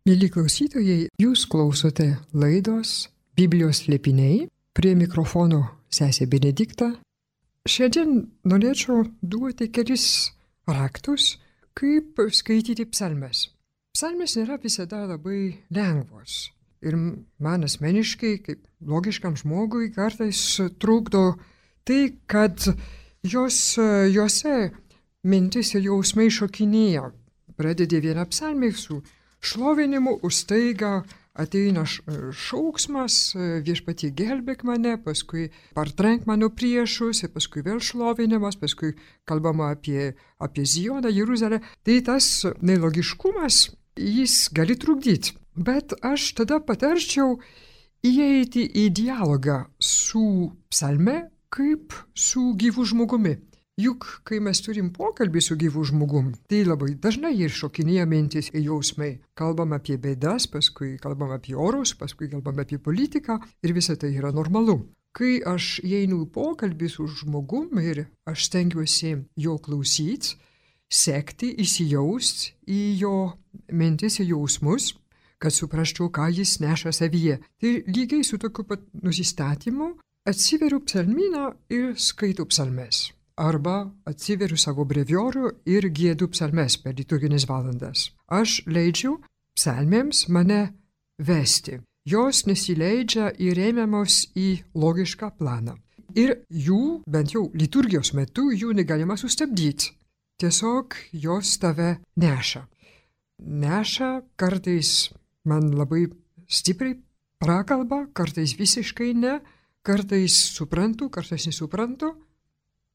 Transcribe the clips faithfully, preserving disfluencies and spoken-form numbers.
Mieli klausytojai, jūs klausote laidos Biblijos slėpiniai, prie mikrofono sesė Benedikta. Šiandien norėčiau duoti kelis raktus, kaip skaityti psalmes. Psalmes nėra visada labai lengvos ir man asmeniškai, kaip logiškam žmogui, kartais trukdo tai, kad jos, jose mintis ir jausmai šokinėja. Pradedi vieną psalmę su šlovinimu, už staiga ateina šauksmas, viešpatie gelbėk mane, paskui partrenk mano priešus, ir paskui vėl šlovinimas, paskui kalbama apie, apie Zioną, Jeruzalę. Tai tas nelogiškumas, jis gali trukdyti. Bet aš tada patarčiau įeiti į dialogą su psalme kaip su gyvu žmogumi. Juk, kai mes turim pokalbį su gyvu žmogum, tai labai dažnai ir šokinėja mintis ir jausmai. Kalbam apie bėdas, paskui kalbam apie orus, paskui kalbam apie politiką ir visa tai yra normalu. Kai aš įeinu į pokalbį su žmogum ir aš stengiuosi jo klausyti, sekti, įsijausti į jo mintis ir jausmus, kad suprasčiau, ką jis neša savyje. Tai lygiai su tokiu pat nusistatymu atsiveriu psalmyną ir skaitau psalmes. Arba atsiveriu savo breviorių ir giedu psalmes per liturginės valandas. Aš leidžiu psalmėms mane vesti. Jos nesileidžia įrėmiamos į logišką planą. Ir jų, bent jau liturgijos metu, jų negalima sustabdyti. Tiesiog jos tave neša. Neša kartais man labai stipriai prakalba, kartais visiškai ne, kartais suprantu, kartais nesuprantu.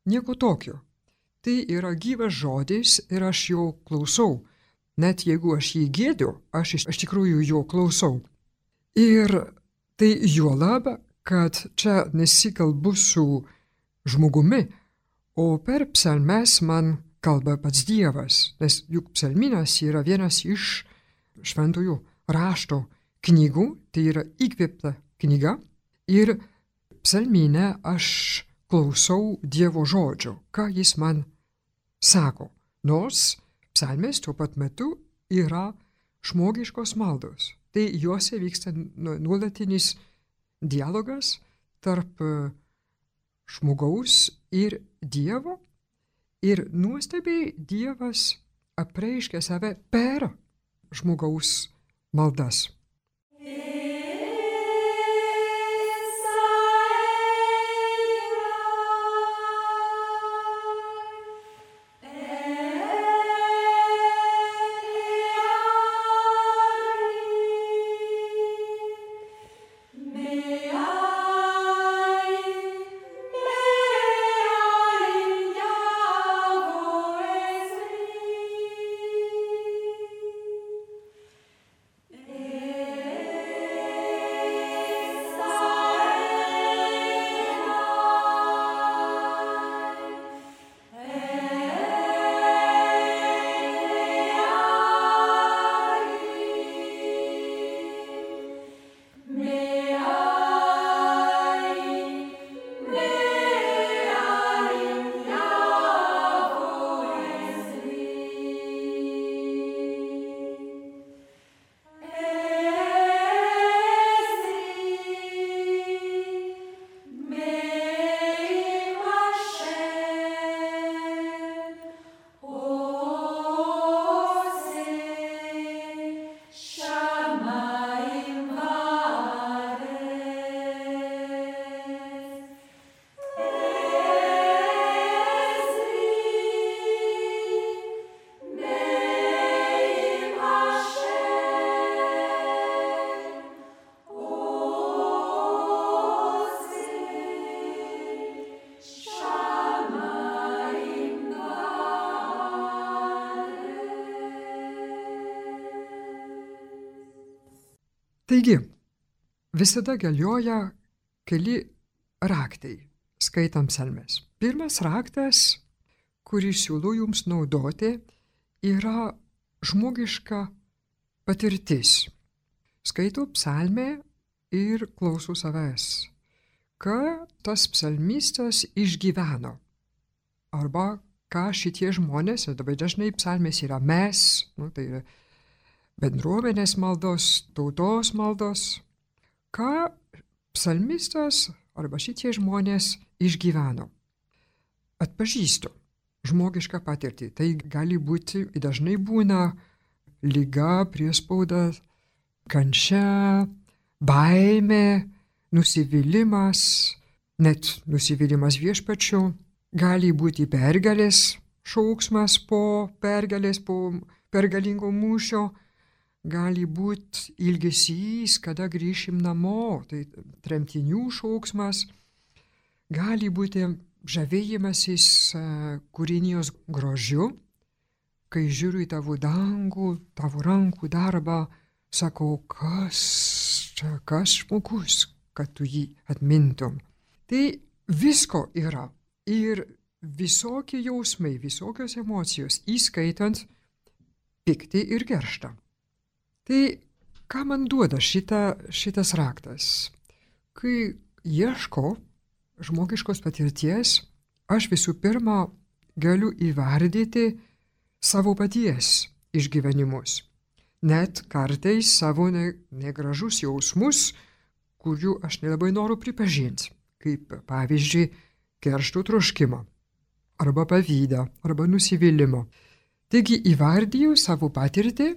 Nieko tokio. Tai yra gyvas žodis ir aš jo klausau. Net jeigu aš jį gėdiu, aš iš, iš tikrųjų jo klausau. Ir tai juolab, kad čia nesikalbu su žmogumi, o per psalmes man kalba pats Dievas, nes juk psalminas yra vienas iš šventųjų rašto knygų, tai yra įkvėpta knyga, ir psalmine aš klausau Dievo žodžio, ką jis man sako. Nors psalmės tuo pat metu yra žmogiškos maldos. Tai juose vyksta nuolatinis dialogas tarp žmogaus ir Dievo. Ir nuostabiai Dievas apreiškia save per žmogaus maldas. Taigi, visada galioja keli raktai, skaitant psalmes. Pirmas raktas, kurį siūlau jums naudoti, yra žmogiška patirtis. Skaitau psalmę ir klausau savęs, ką tas psalmistas išgyveno. Arba ką šitie žmonės, labai dažnai psalmės yra mes, nu, tai yra bendruomenės maldos, tautos maldos. Ką psalmistas arba šitie žmonės išgyveno? Atpažįstu žmogišką patirtį. Tai gali būti, dažnai būna liga, priespauda, kančia, baimė, nusivylimas, net nusivylimas viešpačiu. Gali būti pergalės šauksmas po pergalės, po pergalingo mūšio. Gali būti ilgesys, kada grįšim namo, tai tremtinių šauksmas. Gali būti žavėjimasis kūrinijos grožiu, kai žiūriu į tavo dangų, tavo rankų darbą, sakau, kas čia, kas žmogus, kad tu jį atmintum. Tai visko yra ir visokie jausmai, visokios emocijos, įskaitant pyktį ir kerštą. Tai ką man duoda šita, šitas raktas? Kai ieško žmogiškos patirties, aš visų pirma galiu įvardyti savo paties išgyvenimus. Net kartais savo ne, negražus jausmus, kurių aš nelabai noriu pripažinti, kaip pavyzdžiui keršto troškimą, arba pavydą, arba nusivylimą. Taigi įvardyju savo patirtį,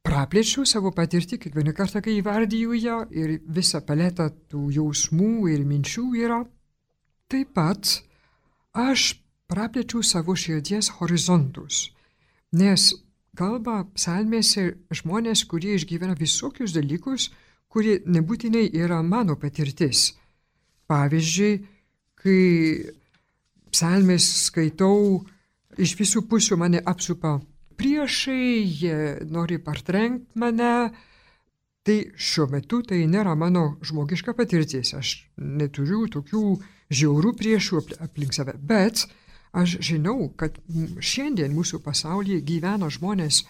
praplėčiau savo patirtį kiekvieną kartą, kai įvardyju ją ir visą paletą tų jausmų ir minčių yra. Taip pat aš praplėčiau savo širdies horizontus, nes kalba psalmėse žmonės, kurie išgyvena visokius dalykus, kurie nebūtinai yra mano patirtis. Pavyzdžiui, kai psalmės skaitau, iš visų pusių mane apsupa priešai, jie nori partrenkt mane, tai šiuo metu tai nėra mano žmogiška patirtis. Aš neturiu tokių žiaurių priešų aplink save, bet aš žinau, kad šiandien mūsų pasaulyje gyvena žmonės,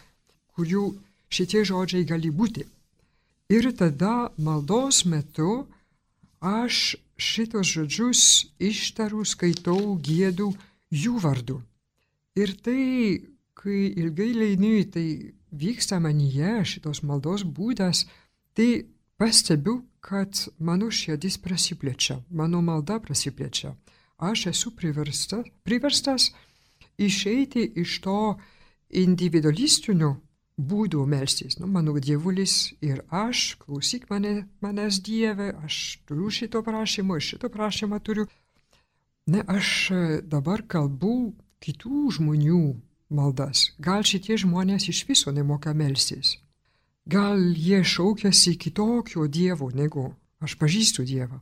kurių šitie žodžiai gali būti. Ir tada maldos metu aš šitos žodžius ištaru, skaitau, giedu jų vardu. Ir tai, kai ilgai leidiniu, tai vyksta manyje šitos maldos būdas, tai pastebiu, kad mano širdis prasiplečia, mano malda prasiplečia. Aš esu priverstas, priverstas išeiti iš to individualistinio būdų melstis. Nu, mano dievulis ir aš, klausyk mane, manęs Dieve, aš turiu šito prašymo, ir šito prašymą turiu. Ne, aš dabar kalbu kitų žmonių maldas. Gal šitie žmonės iš viso nemoka melstis. Gal jie šaukiasi kitokio Dievo, negu aš pažįstu Dievą.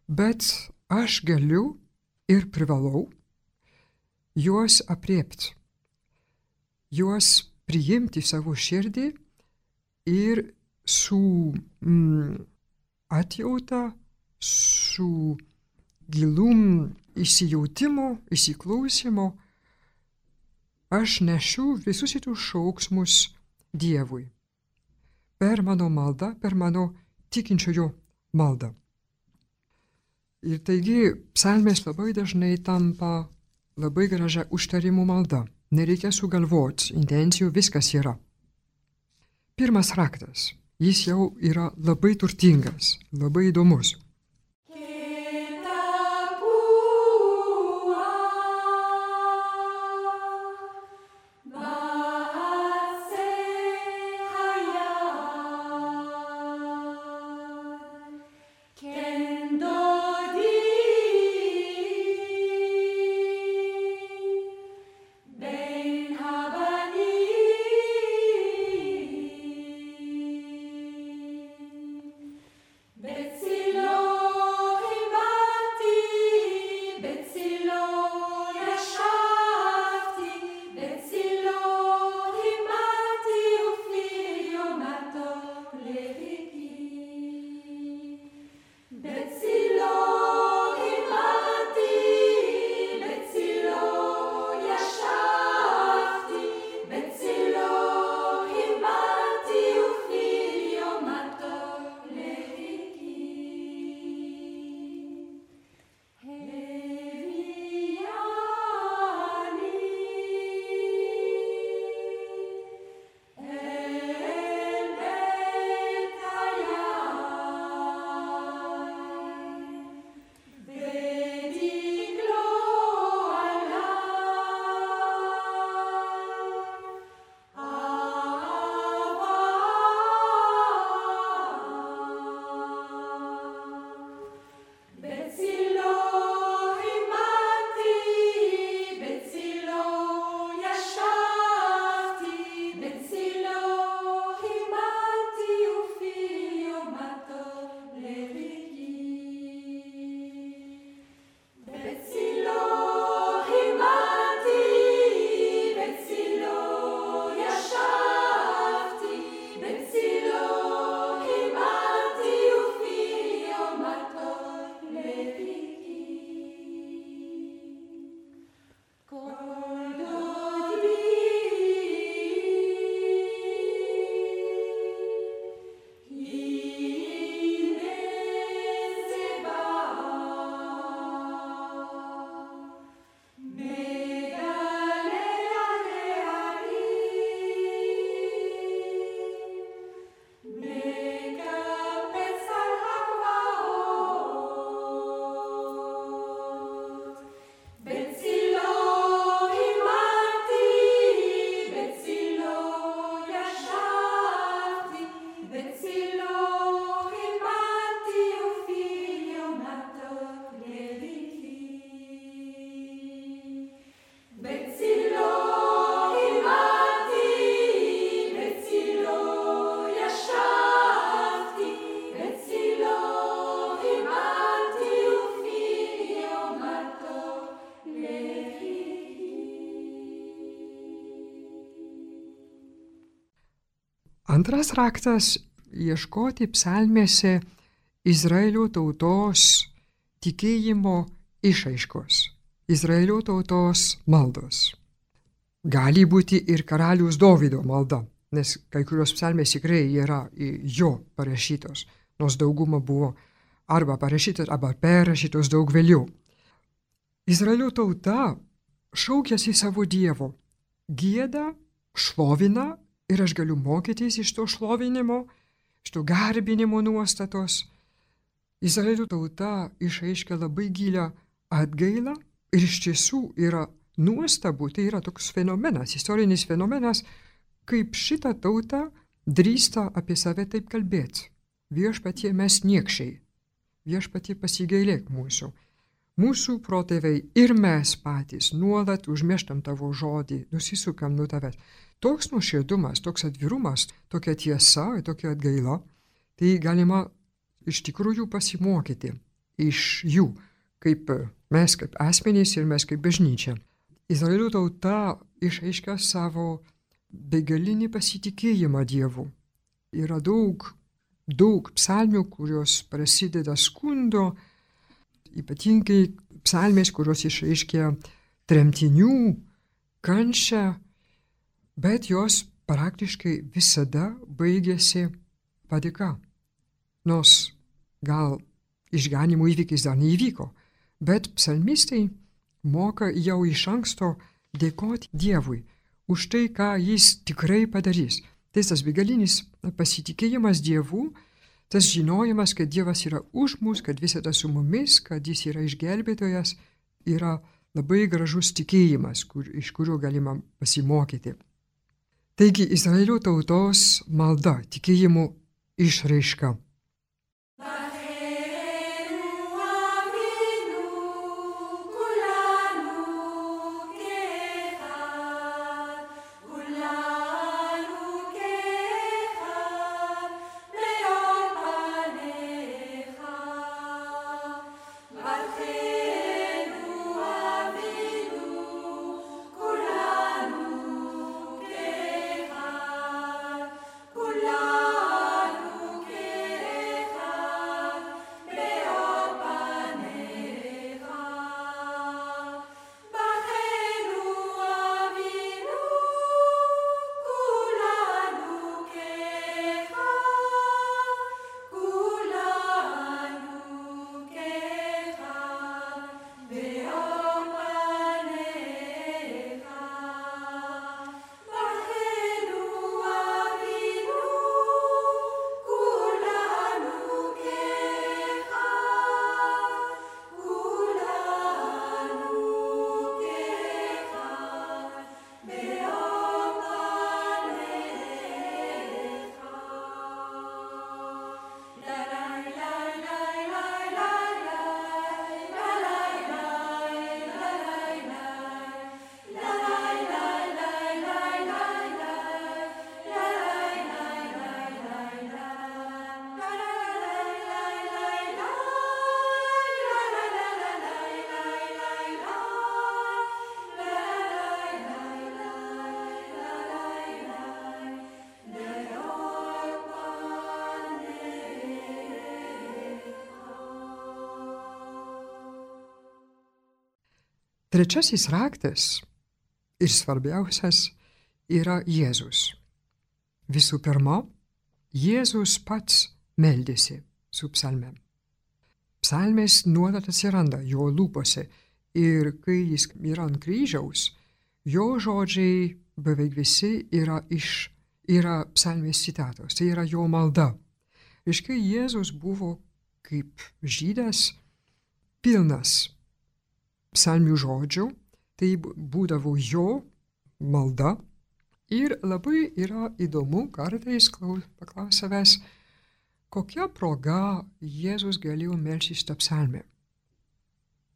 Bet aš galiu ir privalau juos apriepti, juos priimti savo širdį ir su mm, atjauta, su gilum įsijautimu, įsiklausimu, aš nešiu visus šitus šauksmus Dievui. Per mano maldą, per mano tikinčiojo maldą. Ir taigi psalmės labai dažnai tampa labai gražia užtarimų malda. Nereikia sugalvoti, intencijų viskas yra. Pirmas raktas, jis jau yra labai turtingas, labai įdomus. Betsilo Antras raktas - ieškoti psalmėse Izraelio tautos tikėjimo išraiškos, Izraelio tautos maldos. Gali būti ir karaliaus Dovydo malda, nes kai kurios psalmės tikrai yra jo parašytos, nors dauguma buvo arba parašytos, arba perrašytos daug vėliau. Izraelio tauta šaukėsi savo Dievo, gieda, šlovina ir aš galiu mokytis iš to šlovinimo, iš to garbinimo nuostatos. Izraelio tauta išreiškia labai gilią atgailą ir iš tiesų yra nuostabu, tai yra toks fenomenas, istorinis fenomenas, kaip šitą tautą drįsta apie save taip kalbėti. Viešpatie mes niekščiai, viešpatie pasigailėk mūsų. Mūsų protėviai ir mes patys nuolat užmirštam tavo žodį, nusisukam nuo tavęs. Toks nuoširdumas, toks atvirumas, tokia tiesa, tokia atgaila, tai galima iš tikrųjų pasimokyti iš jų, kaip mes kaip asmenys ir mes kaip bažnyčia. Izraelio tauta išreiškia savo begalinį pasitikėjimą Dievu. Yra daug, daug psalmių, kurios prasideda skundo, ypatingai psalmės, kurios išreiškia tremtinių kančią, bet jos praktiškai visada baigėsi padėka. Nors gal išganimo įvykis dar neįvyko, bet psalmistai moka jau iš anksto dėkoti Dievui už tai, ką jis tikrai padarys. Tai tas begalinis pasitikėjimas Dievu, tas žinojimas, kad Dievas yra už mus, kad visada su mumis, kad jis yra išgelbėtojas, yra labai gražus tikėjimas, kur, iš kurio galima pasimokyti. Taigi Izraelio tautos malda, tikėjimo išraiška. Trečiasis raktas ir svarbiausias yra Jėzus. Visų pirma, Jėzus pats meldėsi su psalmėm. Psalmės nuolat atsiranda jo lūpose ir kai jis yra ant kryžiaus, jo žodžiai beveik visi yra, iš, yra psalmės citatos, tai yra jo malda. Ir kai Jėzus buvo kaip žydas pilnas psalmių žodžių, tai būdavo jo malda ir labai yra įdomu kartais paklaus savęs, kokia proga Jėzus galėjo melstis tą psalmę.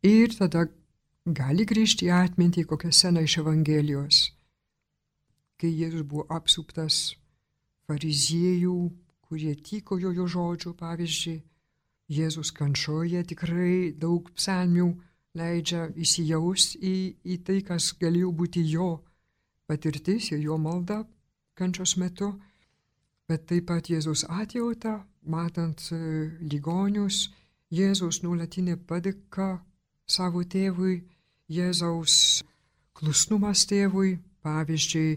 Ir tada gali grįžti į atmintį kokią sceną iš Evangelijos, kai Jėzus buvo apsuptas fariziejų, kurie tykojo jo žodžių, pavyzdžiui, Jėzus kančioje tikrai daug psalmių leidžia įsijausti į, į tai, kas galėjo būti jo patirtis ir jo malda kančios metu. bet taip pat Jėzaus atjauta, matant ligonius, Jėzaus nuolatinė padėka savo tėvui, Jėzaus klusnumas tėvui, pavyzdžiui,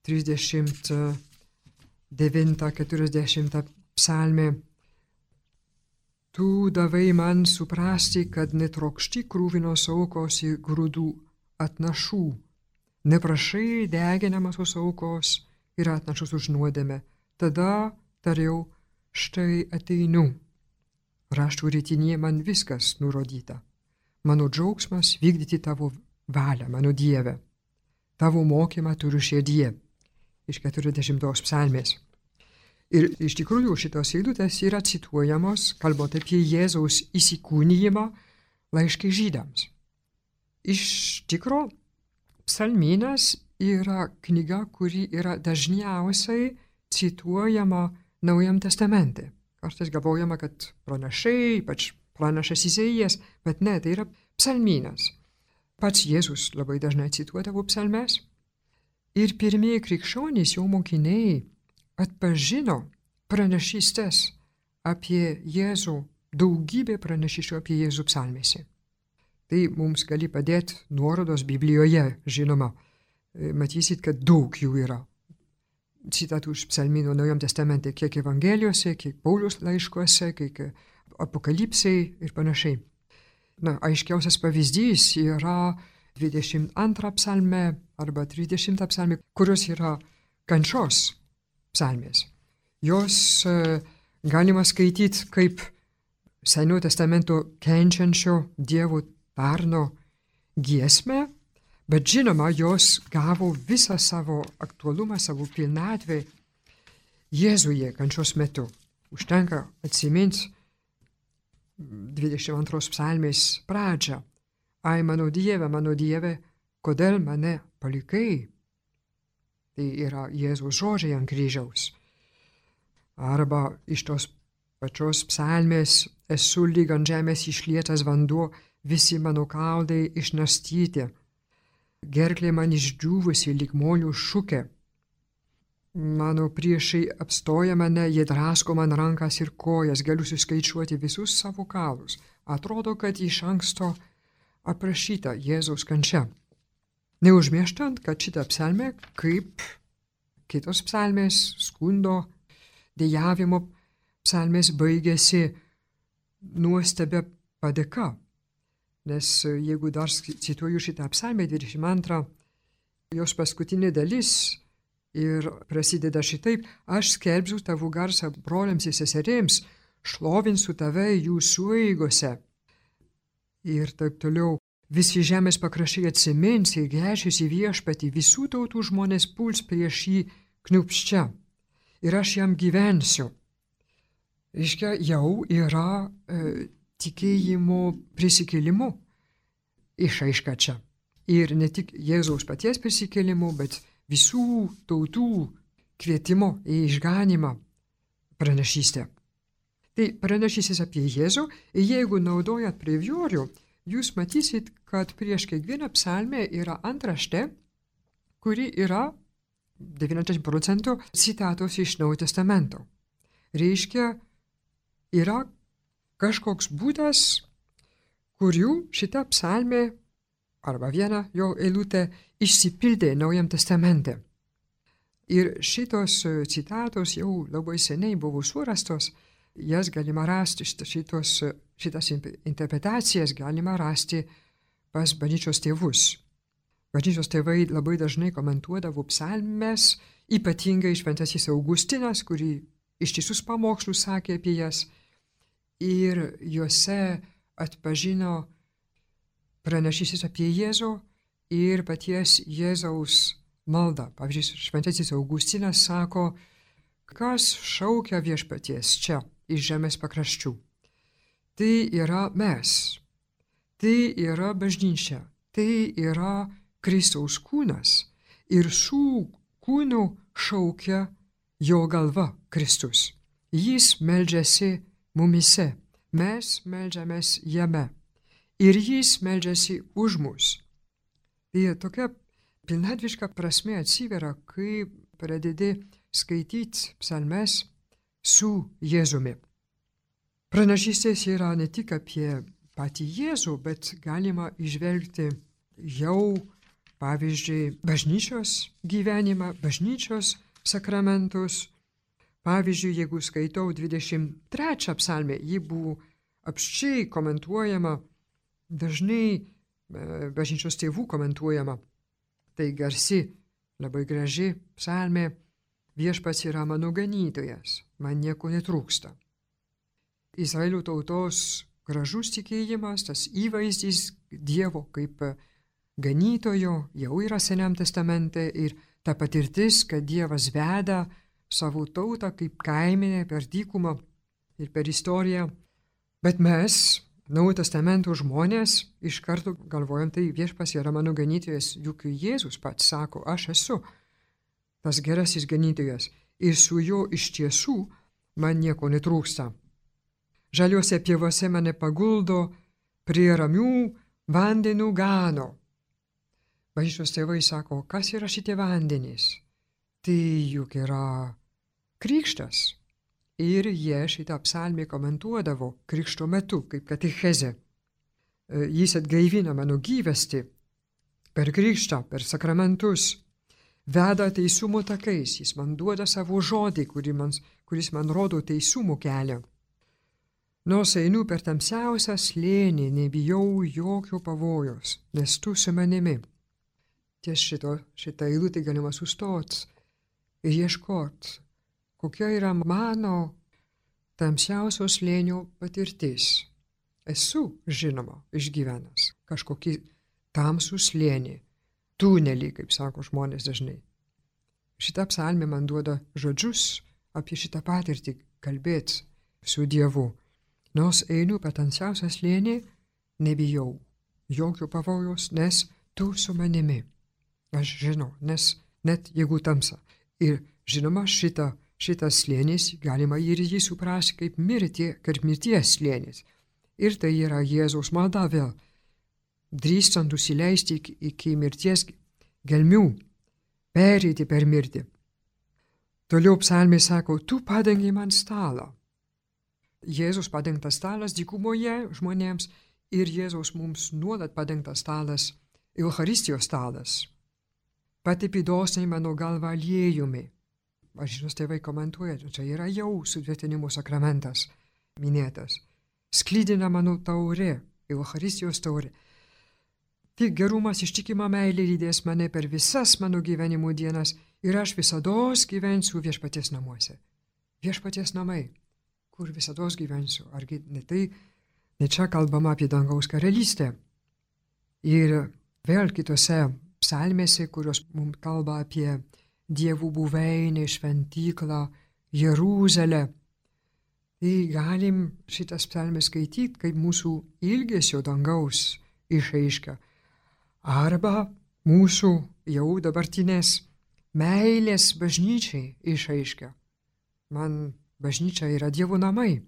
trisdešimt devinta keturiasdešimta psalmė. Tu davai man suprasti, kad netrokšti krūvinos aukos ir grūdų atnašų, neprašai deginamosios aukos ir atnašos už nuodėmę. Tada tariau, štai ateinu. Raštų ritinėje man viskas nurodyta. Mano džiaugsmas vykdyti tavo valią, mano Dieve. Tavo mokymą turiu širdie. Iš keturiasdešimtos psalmės. Ir iš tikrųjų šitos eilutės yra cituojamos, kalbant apie Jėzaus įsikūnijimą laiške žydams. Iš tikro, psalmynas yra knyga, kuri yra dažniausiai cituojama Naujam testamente. Kartais galvojama, kad pranašai, ypač pranašas Izaijas, bet ne, tai yra psalmynas. Pats Jėzus labai dažnai cituodavo psalmes. Ir pirmieji krikščionys, jo mokiniai, atpažino pranašystes apie Jėzų, daugybė pranašysčių apie Jėzų psalmėse. Tai mums gali padėti nuorodos Biblijoje, žinoma. Matysit, kad daug jų yra. Citatų iš psalmynų Naujam testamente, kiek Evangelijose, kiek Pauliaus laiškuose, kiek apokalipsai ir panašiai. Na, aiškiausias pavyzdys yra dvidešimt antra psalmė arba trisdešimta psalmė, kurios yra kančios psalmės. Jos e, galima skaityti kaip Senojo testamento kenčiančio Dievo tarno giesmę, bet žinoma, jos gavo visą savo aktualumą, savo pilnatvę Jėzuje kančios metu. Užtenka atsiminti dvidešimt antros psalmės pradžią. Ai, mano Dieve, mano Dieve, kodėl mane palikai? Tai yra Jėzaus žodžiai ant kryžiaus. Arba iš tos pačios psalmės esu lyg ant žemės išlietas vanduo, visi mano kaulai išnarstyti. Gerklė man išdžiūvusi lyg molių šukė. Mano priešai apstoja mane, jie drasko man rankas ir kojas, galiu suskaičiuoti visus savo kaulus. Atrodo, kad iš anksto aprašyta Jėzaus kančia. Neužmirštant, kad šitą psalmę, kaip kitos psalmės, skundo, dejavimo psalmės baigėsi nuostabia padėka. Nes jeigu dar cituoju šitą psalmę dvidešimt antrą, jos paskutinė dalis ir prasideda šitaip: aš skelbsiu tavo garsą broliams ir seserėms, šlovinsiu tave jų sueigose. Ir taip toliau. Visi žemės pakraščiai atsimins ir gręšis į viešpatį, visų tautų žmonės puls prieš jį kniupščia. Ir aš jam gyvensiu. Reiškia, jau yra e, tikėjimo prisikėlimu išaiška čia. Ir ne tik Jėzaus paties prisikėlimu, bet visų tautų kvietimo į išganimą pranašystę. Tai pranašystės apie Jėzų, ir jeigu naudojat breviorių, jūs matysit, kad prieš kiekvieną psalmę yra antraštė, kuri yra devyniasdešimt procentų citatos iš Naujojo testamento. Reiškia, yra kažkoks būdas, kurių šita psalmė arba viena jo eilutė išsipildė Naujam testamente. Ir šitos citatos jau labai seniai buvo surastos, jas galima rasti, šitos, šitas interpretacijas galima rasti pas bažnyčios tėvus. Bažnyčios tėvai labai dažnai komentuodavo psalmes, ypatingai šventasis Augustinas, kurį ištisus pamokslus sakė apie jas, ir juose atpažino pranašystės apie Jėzų ir paties Jėzaus maldą. Pavyzdžiui, šventasis Augustinas sako, kas šaukia viešpaties čia iš žemės pakraščių. Tai yra mes, tai yra bažnyčia, tai yra Kristaus kūnas ir šių kūnų šaukia jo galva Kristus. Jis meldžiasi mumise, mes meldžiamės jame ir jis meldžiasi už mus. Tai tokia pilnatviška prasme atsiveria, kai pradedi skaityti psalmes su Jėzumi. Pranašystės yra ne tik apie patį Jėzų, bet galima įžvelgti jau, pavyzdžiui, bažnyčios gyvenimą, bažnyčios sakramentus. Pavyzdžiui, jeigu skaitau dvidešimt trečią psalmę, ji buvo apščiai komentuojama, dažnai bažnyčios tėvų komentuojama. Tai garsi, labai graži psalmė, viešpats yra mano ganytojas, man nieko netrūksta. Izraelio tautos gražus tikėjimas, tas įvaizdis Dievo kaip ganytojo jau yra Seniam testamente ir ta patirtis, kad Dievas veda savo tautą kaip kaiminę per dykumą ir per istoriją. Bet mes, Naujojo testamento žmonės, iš karto galvojam, tai viešpats yra mano ganytojas, juk Jėzus pats sako, aš esu tas gerasis ganytojas ir su juo iš tiesų man nieko netrūksta. Žaliuose pievose mane paguldo prie ramių vandenų gano. Bažnyčios tėvai sako, kas yra šitie vandenys? Tai juk yra krikštas. Ir jie šitą psalmę komentuodavo krikšto metu, kaip katechezė. Jis atgaivina mano gyvastį per krikštą, per sakramentus, veda teisumo takais, jis man duoda savo žodį, kuris man, kuris man rodo teisumo kelią. Nors einu per tamsiausią slėnį, nebijau jokio pavojos, nes tu su manimi. Ties šito, šitą eilutę galima sustoti ir ieškoti, kokia yra mano tamsiausio slėnio patirtis. Esu, žinoma, išgyvenęs kažkokį tamsų slėnį, tunelį, kaip sako žmonės dažnai. Šitą psalmę man duoda žodžius apie šitą patirtį kalbėti su Dievu. Nors einu per tamsiausią slėnį, nebijau jokio pavojaus, nes tu su manimi. Aš žinau, nes net jeigu tamsa. Ir žinoma, šitą, šitas slėnis galima ir jį suprasti kaip mirtie, kaip mirties slėnis. Ir tai yra Jėzaus malda vėl, drįstant nusileisti iki, iki mirties gelmių, pereiti per mirtį. Toliau psalmė sako, tu padengi man stalą. Jėzus padengtas stalas dykumoje žmonėms ir Jėzaus mums nuolat padengtas stalas, Eucharistijos stalas. Patepi dosniai mano galvą aliejumi. Bažnyčios tėvai komentuoja, čia yra jau sutvirtinimo sakramentas minėtas. Sklydina mano taurė, Eucharistijos taurė. Tik gerumas ištikima meilė lydės mane per visas mano gyvenimo dienas ir aš visados gyvensiu viešpaties namuose. Viešpaties namai. Kur visados gyvensiu. Argi ne tai, ne čia kalbama apie dangaus karalystę. Ir vėl kitose psalmėse, kurios mums kalba apie dievų buveinę, šventyklą, Jeruzalę. Tai galim šitas psalmės skaityti kaip mūsų ilgesio dangaus išraiška. Arba mūsų jau dabartinės meilės bažnyčiai išraiška. Man bažnyčia yra Dievo namai.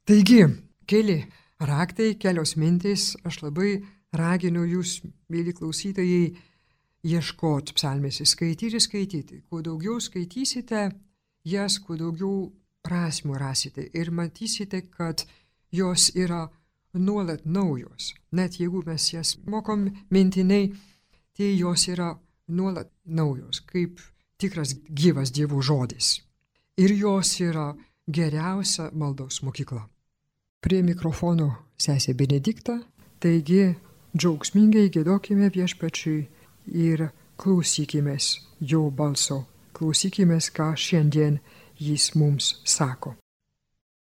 Taigi, keli raktai, kelios mintys, aš labai raginu jūs, mėly klausytojai, ieškoti psalmėse, skaityti, skaityti. Kuo daugiau skaitysite jas, kuo daugiau prasmių rasite ir matysite, kad jos yra nuolat naujos. Net jeigu mes jas mokom mintinai, tai jos yra nuolat naujos, kaip tikras gyvas Dievo žodis. Ir jos yra geriausia maldos mokykla. Prie mikrofono sesė Benedikta, taigi džiaugsmingai giedokime Viešpačiui ir klausykimės jo balso, klausykimės, ką šiandien jis mums sako.